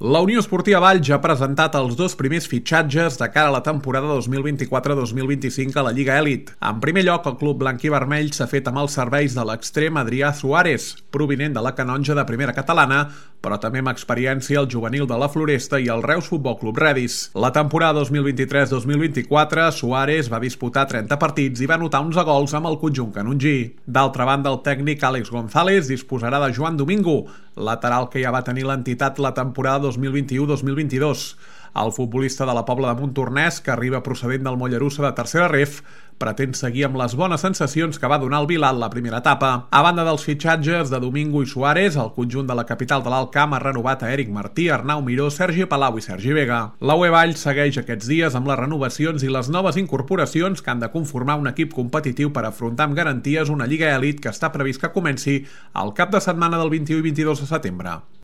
La Unió Esportiva Valls ja ha presentat els dos primers fitxatges de cara a la temporada 2024-2025 a la Lliga Elit. En primer lloc, el club blanc i vermell s'ha fet amb els serveis de l'extrem Adrià Suárez, provinent de la Canonja de Primera Catalana, però també amb experiència al juvenil de la Floresta i el Reus Futbol Club Redis. La temporada 2023-2024, Suárez va disputar 30 partits i va anotar 11 gols amb el conjunt canongí. D'altra banda, el tècnic Àlex González disposarà de Joan Domingo, lateral que ja va tenir l'entitat la temporada 2021-2022. El futbolista de la Pobla de Montornès, que arriba procedent del Mollerussa de tercera ref, pretén seguir amb les bones sensacions que va donar el Vilat la primera etapa. A banda dels fitxatges de Domingo i Suárez, el conjunt de la capital de l'Alt Camp ha renovat a Eric Martí, Arnau Miró, Sergi Palau i Sergi Vega. La UE Valls segueix aquests dies amb les renovacions i les noves incorporacions que han de conformar un equip competitiu per afrontar amb garanties una Lliga Elit que està previst que comenci el cap de setmana del 21 i 22 de setembre.